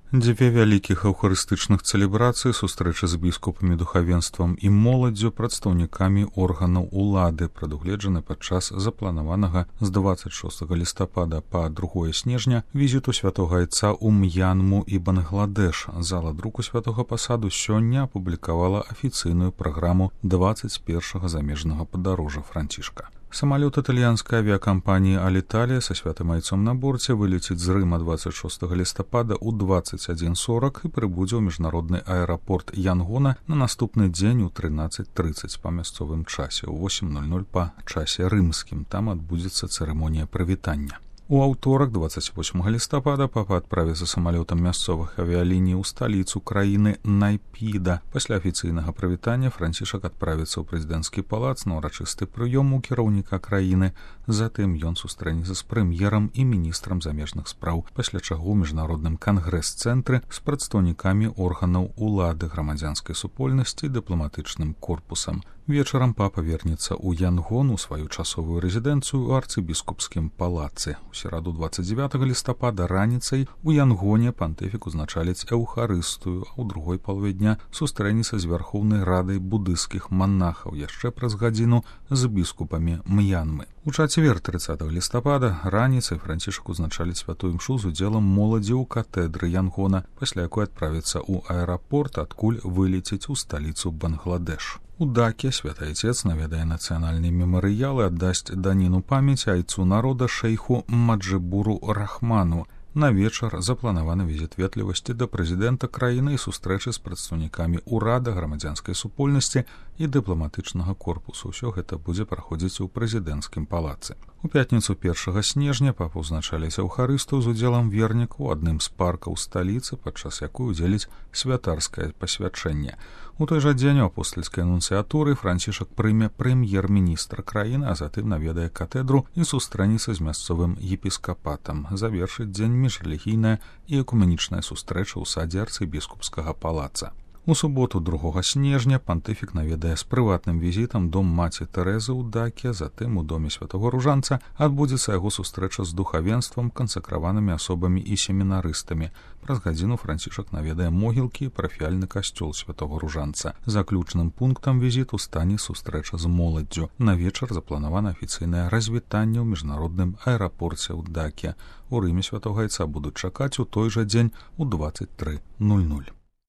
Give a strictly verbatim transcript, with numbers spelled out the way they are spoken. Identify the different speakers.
Speaker 1: Дзве вялікіх эўхарыстычных цэлебрацый, сустрэчы з біскупамі, духавенствам і моладдзю, прадстаўнікамі органаў улады прадугледжаны падчас запланаванага з дваццаць шостага лістапада па другое снежня візіту святога айца ў М'янму і Бангладеш. Зала друку святога пасаду сёння апублікавала афіцыйную праграму дваццаць першага замежнага падарожжа Францішка. Самалёт італьянскай авіякампаніі «Аліталія» са святым айцом на борце вылеціць з Рыма дваццаць шостага лістапада ў дваццаць адзін сорак і прыбудзе ў міжнародны аэрапорт Янгона на наступны дзень у трынаццаць трыццаць па мясцовым часе, у восем нуль нуль па часе рымскім. Там адбудзецца цырымонія прывітання. У аўторак, дваццаць восьмага лістапада, папа адправіцца самалётам мясцовых авіяліній у сталіцу краіны Найпіда. Пасля афіцыйнага прывітання Францішак адправіцца ў прэзідэнцкі палац на ўрачысты прыём у кіраўніка краіны. Затым ён сустрэнецца з прэм'ерам і міністрам замежных спраў, пасля чаго ў міжнародным кангрэс-цэнтры з прадстаўнікамі органаў улады, грамадзянскай супольнасці і дыпламатычным корпусам. Вечарам папа вернецца ў Янгон, у сваю часовую рэзідэнцыю ў арцыбіскупскім палацы. У сераду дваццаць дзевятага лістапада раніцай у Янгоне пантыфік узначаліць эўхарыстыю, а ў другой палове дня сустрэнецца з Вярхоўнай радай будысцкіх манахаў, яшчэ праз гадзіну з біскупамі М'янмы. У чацвер трыццатага лістапада раніцай Францішак узначаліць святую імшу з удзелам моладзі ў катэдры Янгона, пасля якой адправіцца ў аэрапорт, адкуль вылеціць у сталіцу Бангладеш. У Даке святы айцец наведае нацыянальныя мемарыялы, аддасць даніну памяці айцу народа шэйху Маджыбуру Рахману. На вечар запланаваны візіт ветлівасці да прэзідэнта краіны і сустрэчы з прадстаўнікамі ўрада, грамадзянскай супольнасці і дыпламатычнага корпусу. Усё гэта будзе праходзіць у прэзідэнцкім палацы. У пятніцу першага снежня папа ўзначаліць эўхарыстыю з удзелам верніку ў адным з паркаў сталіцы, падчас якой удзеліць святарскае пасвячэнне. У той жа дзень у апостальскай анунцыятуры Францішак прыме прэм'ер-міністра краіны, а затым наведае катэдру і сустрэнецца з мясцовым епіскапатам. Завершыць дзень міжрэлігійная і экуменічная сустрэча ў садзе арцыбіскупскага палаца. У суботу другога снежня пантыфік наведае з прыватным візітам дом маці Тэрэзы ў Даке, затым у доме святого Ружанца адбудзецца яго сустрэча з духавенствам, кансакраванымі асобамі і семінарыстамі. Праз гадзіну Францішак наведае могілкі і парафіяльны касцёл святого Ружанца. Заключным пунктам візіту стане сустрэча з моладдзю. На вечар запланавана афіцыйнае развітанне ў міжнародным аэрапорце ў Даке. У Рыме святога айца будуць чакаць у той жа дзень у дваццаць тры нуль нуль.